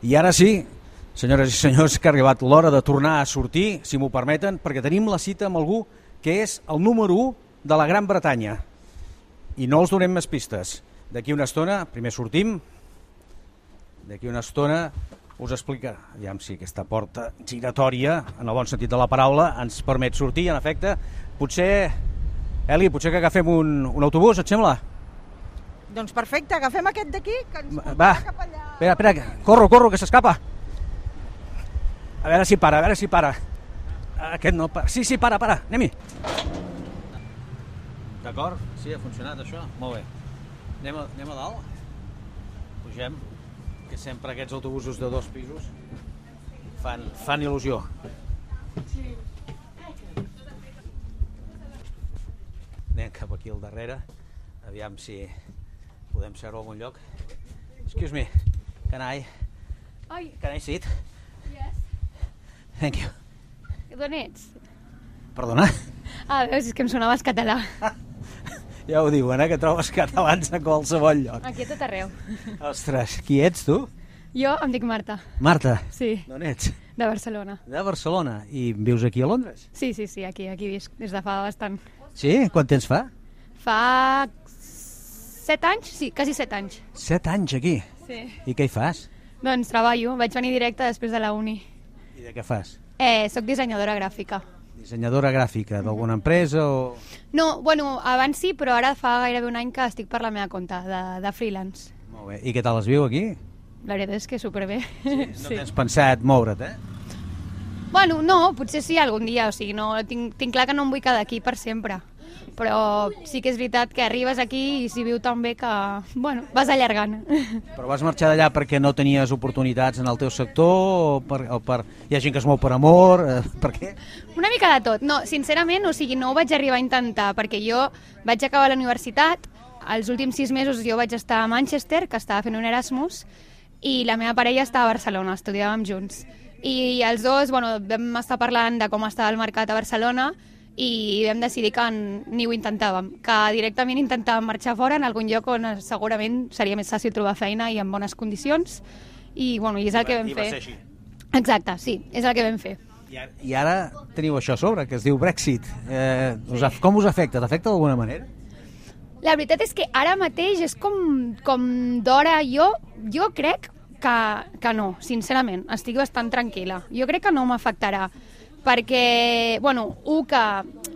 I ara sí, senyores i senyors, que ha arribat l'hora de tornar a sortir, si m'ho permeten, perquè tenim la cita amb algú que és el número 1 de la Gran Bretanya. I no els donem més pistes. D'aquí una estona, primer sortim, d'aquí una estona us explica, aviam si aquesta porta giratòria, en el bon sentit de la paraula, ens permet sortir, en efecte. Potser, Eli, potser que agafem un autobús, et sembla? Doncs perfecte, agafem aquest d'aquí, que ens Va, portarà cap allà. espera, corro, que s'escapa. A veure si para. Aquest no para. Sí, para, anem-hi. D'acord? Sí, ha funcionat això? Molt bé. Anem a dalt? Pugem, que sempre aquests autobusos de 2 pisos fan il·lusió. Anem cap aquí al darrere, aviam si podem seure a algun lloc. Excuse me, can I sit? Yes. Thank you. D'on ets? Perdona? Veus, és que em sonaves català. Ja ho diuen, que trobes catalans a qualsevol lloc. Aquí a tot arreu. Ostres, qui ets tu? Jo em dic Marta. Marta? Sí. D'on ets? De Barcelona. De Barcelona. I vius aquí a Londres? Sí, aquí visc, des de fa bastant. Sí? Quant temps fa? Fa 7 anys? Sí, quasi 7 anys. 7 anys aquí? Sí. I què hi fas? Doncs treballo, vaig venir directe després de la uni. I de què fas? Soc dissenyadora gràfica. Dissenyadora gràfica d'alguna empresa o...? No, abans sí, però ara fa gairebé un any que estic per la meva compte, de freelance. Molt bé. I què tal es viu aquí? La veritat és que superbé. Sí, no tens pensat moure't, No, potser sí algun dia, o sigui, no, tinc clar que no em vull quedar aquí per sempre, però sí que és veritat que arribes aquí i s'hi viu tan bé que, vas allargant. Però vas marxar d'allà perquè no tenies oportunitats en el teu sector o hi ha gent que es mou per amor, per què? Una mica de tot, no, sincerament, o sigui, no ho vaig arribar a intentar, perquè jo vaig acabar la universitat, els últims 6 mesos jo vaig estar a Manchester, que estava fent un Erasmus, i la meva parella estava a Barcelona, estudiàvem junts. I els dos vam estar parlant de com estava el mercat a Barcelona i vam decidir que ni ho intentàvem, que directament intentàvem marxar fora en algun lloc on segurament seria més fàcil trobar feina i en bones condicions i és el que vam fer. I va ser així. Exacte, sí, és el que vam fer. I ara teniu això a sobre, que es diu Brexit. Com us afecta? T'afecta d'alguna manera? La veritat és que ara mateix és com d'hora. Jo crec que no, sincerament, estic bastant tranquil·la. Jo crec que no m'afectarà, perquè, que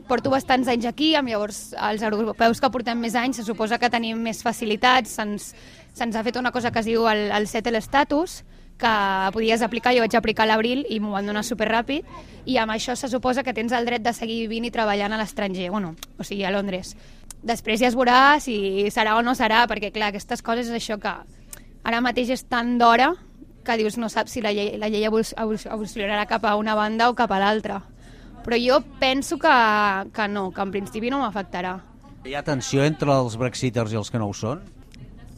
porto bastants anys aquí, llavors els europeus que portem més anys se suposa que tenim més facilitats, se'ns ha fet una cosa que es diu el settle status, que podies aplicar, jo vaig aplicar a l'abril i m'ho van donar superràpid, i amb això se suposa que tens el dret de seguir vivint i treballant a l'estranger, o sigui, a Londres. Després ja es veurà si serà o no serà, perquè clar, aquestes coses és això que ara mateix és tan d'hora que dius no saps si la llei evolucionarà cap a una banda o cap a l'altra. Però jo penso que no, que en principi no m'afectarà. Hi ha tensió entre els brexiters i els que no ho són?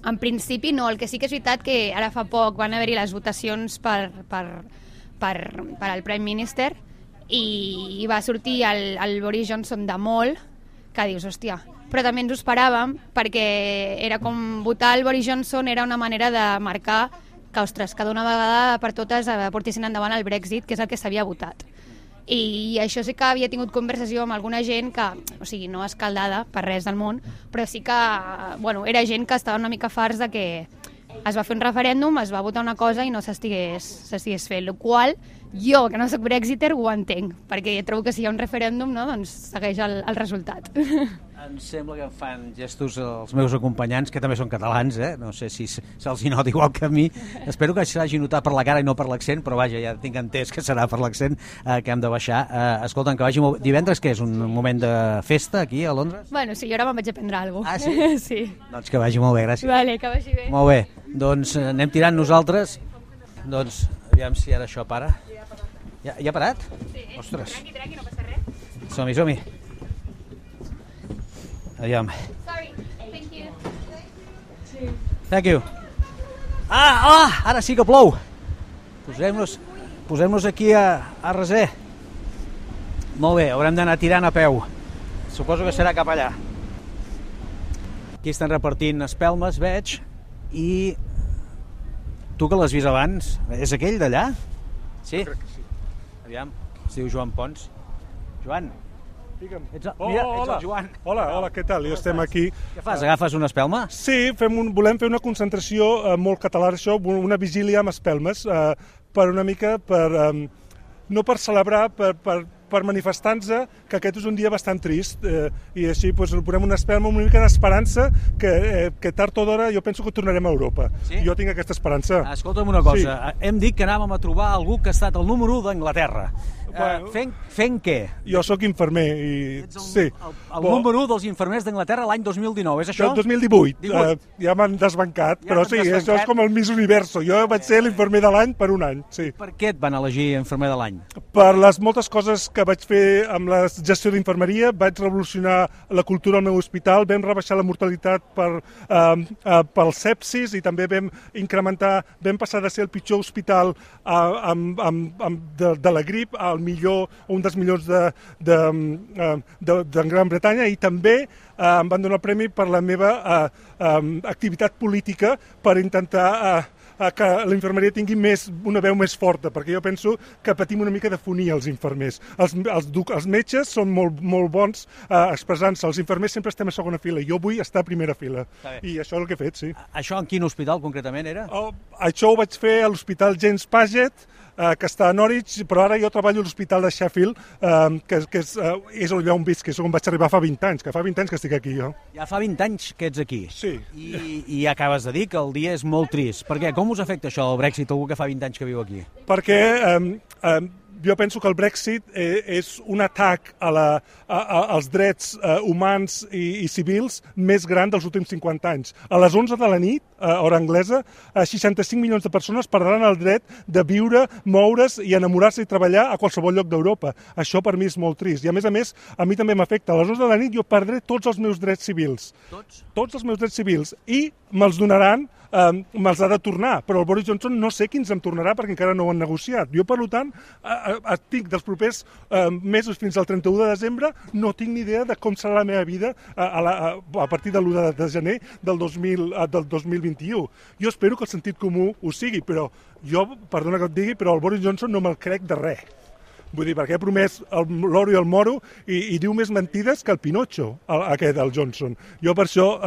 En principi no, el que sí que és veritat que ara fa poc van haver-hi les votacions per al Prime Minister i va sortir el Boris Johnson de molt, que dius, hòstia, però també ens ho esperàvem perquè era com votar el Boris Johnson era una manera de marcar que, ostres, que d'una vegada per totes portessin endavant el Brexit, que és el que s'havia votat. I això sí que havia tingut conversació amb alguna gent que, o sigui, no escaldada per res del món, però sí que, era gent que estava una mica farts de que es va fer un referèndum, es va votar una cosa i no s'estigués fent, el qual jo, que no soc brexiter, ho entenc, perquè trobo que si hi ha un referèndum, no, doncs segueix el resultat. Em sembla que em fan gestos els meus acompanyants, que també són catalans, no sé si se'ls hi nota igual que a mi. Espero que s'hagi notat per la cara i no per l'accent, però vaja, ja tinc entès que serà per l'accent que hem de baixar. Escolta'm, que vagi molt... Divendres, què és, un moment de festa aquí a Londres? Sí, jo ara me'n vaig a prendre alguna cosa. Ah, sí? Sí. Doncs que vagi molt bé, gràcies. Vale, que vagi bé. Molt bé, doncs anem tirant nosaltres. Doncs, aviam si ara això para. Ja ha parat? Sí. Ostres. Tranqui, no passa res. Som-hi. Aviam. Sorry, thank you. Thank you. Ara sí que plou. Posem-nos aquí a reser. Molt bé, haurem d'anar tirant a peu. Suposo que serà cap allà. Aquí estan repartint espelmes, veig, i tu que l'has vist abans, és aquell d'allà? Sí? Crec que sí. Aviam, es diu Joan Pons. Joan, Digue'm. ets el Joan. Hola, què tal? Jo estem aquí. Què fas, agafes una espelma? Sí, volem fer una concentració molt català, això, una vigília amb espelmes, per una mica, no per celebrar, per manifestar-nos que aquest és un dia bastant trist, i així posem una espelma, una mica d'esperança que tard o d'hora jo penso que tornarem a Europa. Sí? Jo tinc aquesta esperança. Escolta'm una cosa, hem dit que anàvem a trobar algú que ha estat el número 1 d'Anglaterra. Bueno, fent què? Jo sóc infermer i... Ets sí. el número 1 dels infermers d'Anglaterra l'any 2019, és això? El 2018. Ja m'han desbancat, però sí, això és com el Miss Universo. Jo vaig ser l'infermer de l'any per un any, sí. Per què et van elegir infermer de l'any? Per les moltes coses que vaig fer amb la gestió d'infermeria, vaig revolucionar la cultura al meu hospital, vam rebaixar la mortalitat pel sepsis i també vam passar de ser el pitjor hospital de la grip al millor, un dels millors de Gran Bretanya, i també em van donar el premi per la meva activitat política per intentar que la infermeria tingui una veu més forta, perquè jo penso que patim una mica de fonia els infermers. Els metges són molt bons expressant-se, els infermers sempre estem a segona fila, jo vull estar a primera fila, i això és el que he fet, sí. Això en quin hospital concretament era? Això ho vaig fer a l'Hospital James Paget, que està a Norwich, però ara jo treballo a l'Hospital de Sheffield, que és allà on visc, que és on vaig arribar fa 20 anys, que fa 20 anys que estic aquí jo. Ja fa 20 anys que ets aquí. Sí. I acabes de dir que el dia és molt trist. Per què? Com us afecta això del Brexit, algú que fa 20 anys que viu aquí? Perquè jo penso que el Brexit és un atac als drets humans i civils més gran dels últims 50 anys. A les 11 de la nit, hora anglesa, 65 milions de persones perdran el dret de viure, moure's i enamorar-se i treballar a qualsevol lloc d'Europa. Això per mi és molt trist. I a més, a mi també m'afecta. A les 11 de la nit jo perdré tots els meus drets civils. Tots? Tots els meus drets civils. I me'ls donaran, me'ls ha de tornar, però el Boris Johnson no sé quins em tornarà perquè encara no ho han negociat. Jo, per tant, tinc dels propers mesos fins al 31 de desembre, no tinc ni idea de com serà la meva vida a partir de l'1 de gener del 2021. Jo espero que el sentit comú ho sigui, però jo, perdona que et digui, però el Boris Johnson no me'l crec de res. Vull dir, perquè ha promès l'oro i el moro i diu més mentides que el Pinocho, aquest, el Johnson. Jo per això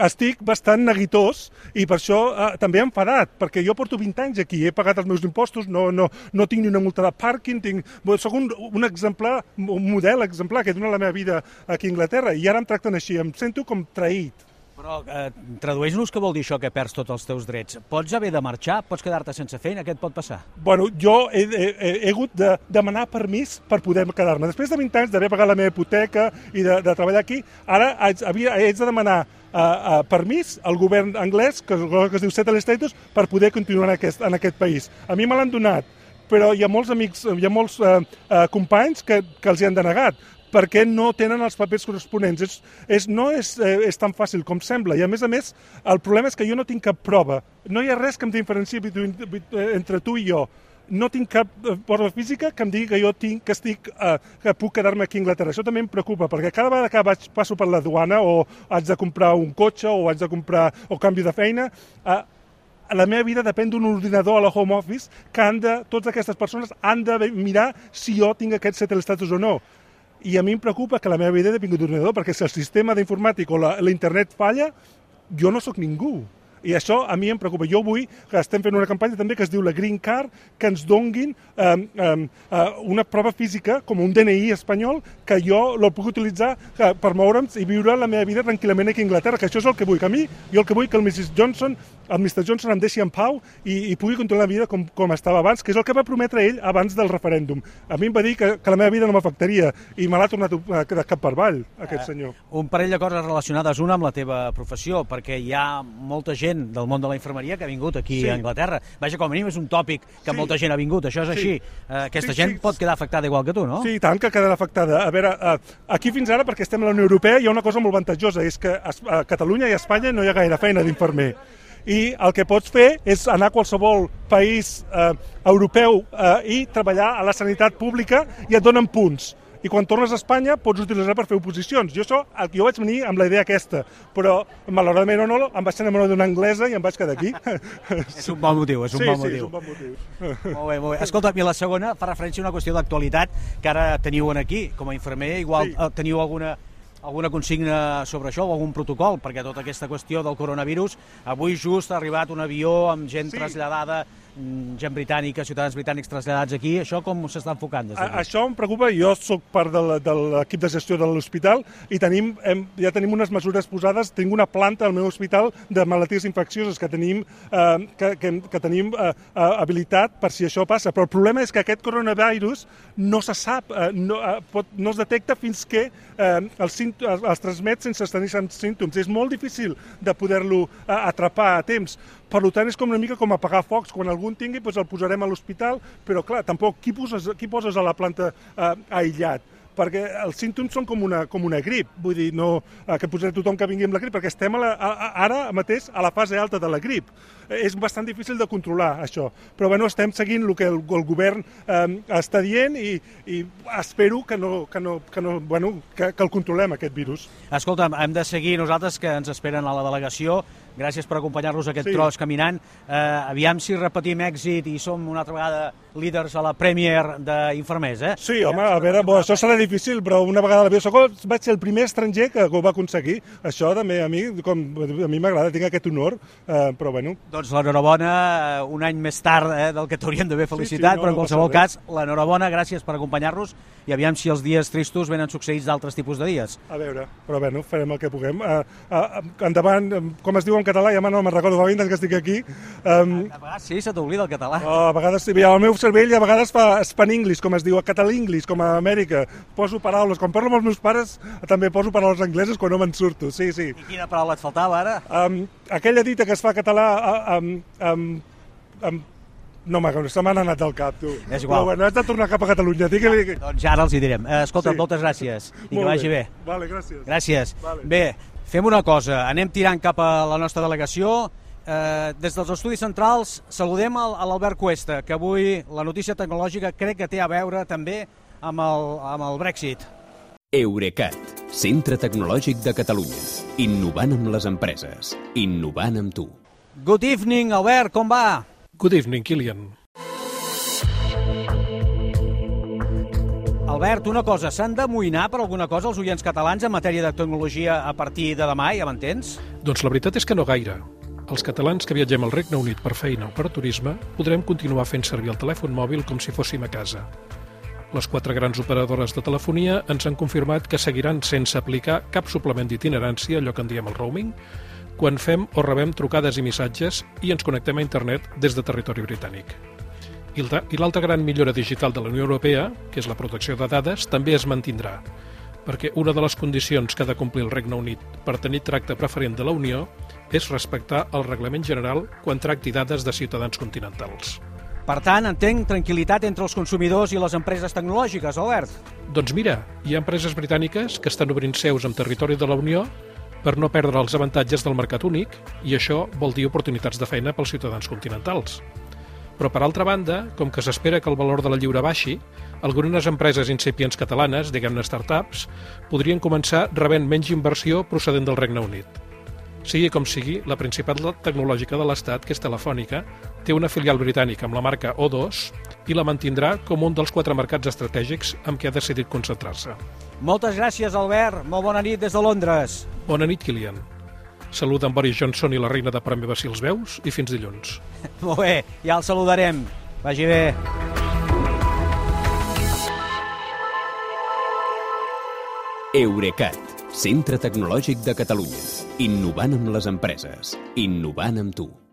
estic bastant neguitós i per això també enfadat, perquè jo porto 20 anys aquí, he pagat els meus impostos, no tinc ni una multa de pàrquing, soc un exemplar, un model exemplar que he donat la meva vida aquí a Anglaterra i ara em tracten així, em sento com traït. Però tradueix-nos què vol dir això, que perds tots els teus drets. Pots haver de marxar? Pots quedar-te sense feina? Què et pot passar? Bueno, jo he hagut de demanar permís per poder quedar-me. Després de 20 anys d'haver pagat la meva hipoteca i de treballar aquí, ara haig de demanar permís al govern anglès, que es diu settled status, per poder continuar en aquest país. A mi me l'han donat, però hi ha molts amics, hi ha molts companys que els hi han denegat, perquè no tenen els papers corresponents. No és tan fàcil com sembla. I a més, el problema és que jo no tinc cap prova. No hi ha res que em diferenciï entre tu i jo. No tinc cap prova física que em digui que puc quedar-me aquí a Anglaterra. Això també em preocupa, perquè cada vegada que passo per la duana o haig de comprar un cotxe o haig de comprar o canvi de feina, la meva vida depèn d'un ordinador a la home office que totes aquestes persones han de mirar si jo tinc aquest settled status o no. I a mi em preocupa que la meva vida depengui d'un ordinador, perquè si el sistema d'informàtic o l'internet falla, jo no sóc ningú. I això a mi em preocupa. Jo vull que estem fent una campanya també que es diu la Green Card, que ens donguin una prova física, com un DNI espanyol, que jo el puc utilitzar per moure'm i viure la meva vida tranquil·lament aquí a Anglaterra, que això és el que vull. Que a mi, jo el que vull que el Mr. Johnson em deixi en pau i pugui continuar la vida com estava abans, que és el que va prometre ell abans del referèndum. A mi em va dir que la meva vida no m'afectaria i me l'ha tornat de cap per avall, aquest senyor. Un parell de coses relacionades, una amb la teva professió, perquè hi ha molta gent del món de la infermeria que ha vingut aquí a Anglaterra. Vaja, com a mínim és un tòpic que molta gent ha vingut, això és així. Aquesta gent pot quedar afectada igual que tu, no? Sí, tant que quedarà afectada. A veure, aquí fins ara, perquè estem a la Unió Europea, hi ha una cosa molt avantatjosa, és que a Catalunya i a Espanya no hi ha gaire feina d'infermer. I el que pots fer és anar a qualsevol país europeu i treballar a la sanitat pública i et donen punts. i quan tornes a Espanya pots utilitzar per fer oposicions. Jo vaig venir amb la idea aquesta, però malauradament o no, em vaig enamorar d'una anglesa i em vaig quedar aquí. És un bon motiu, és un bon motiu. Sí, és un bon motiu. Molt bé, molt bé. Escolta, i la segona fa referència a una qüestió d'actualitat que ara teniu aquí, com a infermer, igual teniu alguna consigna sobre això o algun protocol, perquè tota aquesta qüestió del coronavirus, avui just ha arribat un avió amb gent traslladada, gent britànica, ciutadans britànics traslladats aquí, això com s'està enfocant? Això em preocupa, jo soc part de l'equip de gestió de l'hospital i ja tenim unes mesures posades, tinc una planta al meu hospital de malalties infeccioses que tenim habilitat per si això passa, però el problema és que aquest coronavirus no se sap, no es detecta fins que els transmet sense tenir símptoms. És molt difícil de poder-lo atrapar a temps. Per tant, és com una mica com apagar focs. Quan algú en tingui, doncs el posarem a l'hospital, però clar, tampoc, qui poses a la planta aïllat? Perquè els símptoms són com una grip, vull dir, no que posaré tothom que vingui amb la grip, perquè estem ara mateix a la fase alta de la grip. És bastant difícil de controlar, això. Però bueno, estem seguint el que el govern està dient i espero que el controlem, aquest virus. Escolta'm, hem de seguir nosaltres, que ens esperen a la delegació. Gràcies per acompanyar-nos aquest tros caminant. Aviam si repetim èxit i som una altra vegada líders a la Premier d'Infermers, eh? Sí, home, a veure, això serà difícil, però una vegada a l'avió vaig ser el primer estranger que ho va aconseguir. Això també a mi m'agrada, tinc aquest honor, però bueno. Doncs l'enhorabona, un any més tard del que t'hauríem d'haver felicitat, però en qualsevol cas, l'enhorabona, gràcies per acompanyar-nos i aviam si els dies tristos venen succeïts d'altres tipus de dies. A veure, però bueno, farem el que puguem. Endavant, com es diu en català, ja no me'n recordo, fa 20 anys que estic aquí. A vegades sí, se t'oblida el català. A vegades sí, el meu cervell a vegades fa span-English, com es diu, català-English, com a Amèrica. Poso paraules, quan parlo amb els meus pares també poso paraules angleses quan no me'n surto, sí. I quina paraula et faltava ara? Aquella dita que es fa català no, se m'han anat del cap, tu. És igual. Però bueno, has de tornar cap a Catalunya. Doncs ara els hi direm. Escolta, moltes gràcies i que vagi bé. Vale, gràcies. Gràcies. Bé, fem una cosa, anem tirant cap a la nostra delegació. Des dels estudis centrals saludem a l'Albert Cuesta, que avui la notícia tecnològica crec que té a veure també amb el Brexit. Eurecat, centre tecnològic de Catalunya. Innovant amb les empreses. Innovant amb tu. Good evening, Albert, com va? Good evening, Kilian. Albert, una cosa, s'han d'amoïnar per alguna cosa els oients catalans en matèria de tecnologia a partir de demà, ja m'entens? Doncs la veritat és que no gaire. Els catalans que viatgem al Regne Unit per feina o per turisme podrem continuar fent servir el telèfon mòbil com si fóssim a casa. Les 4 grans operadores de telefonia ens han confirmat que seguiran sense aplicar cap suplement d'itinerància, allò que en diem el roaming, quan fem o rebem trucades i missatges i ens connectem a internet des de territori britànic. I l'altra gran millora digital de la Unió Europea, que és la protecció de dades, també es mantindrà, perquè una de les condicions que ha de complir el Regne Unit per tenir tracte preferent de la Unió és respectar el reglament general quan tracti dades de ciutadans continentals. Per tant, entenc tranquil·litat entre els consumidors i les empreses tecnològiques, Albert. Doncs mira, hi ha empreses britàniques que estan obrint seus en territori de la Unió per no perdre els avantatges del mercat únic, i això vol dir oportunitats de feina pels ciutadans continentals. Però, per altra banda, com que s'espera que el valor de la lliura baixi, algunes empreses incipients catalanes, diguem-ne startups, podrien començar rebent menys inversió procedent del Regne Unit. Sigui com sigui, la principal tecnològica de l'Estat, que és Telefònica, té una filial britànica amb la marca O2 i la mantindrà com un dels 4 mercats estratègics amb què ha decidit concentrar-se. Moltes gràcies, Albert. Molt bona nit des de Londres. Bona nit, Kilian. Saluda en Boris Johnson i la reina de Premi si els veus, i fins dilluns. Molt bé, ja el saludarem. Vagi bé. Eurecat, centre tecnològic de Catalunya. Innovant amb les empreses. Innovant amb tu.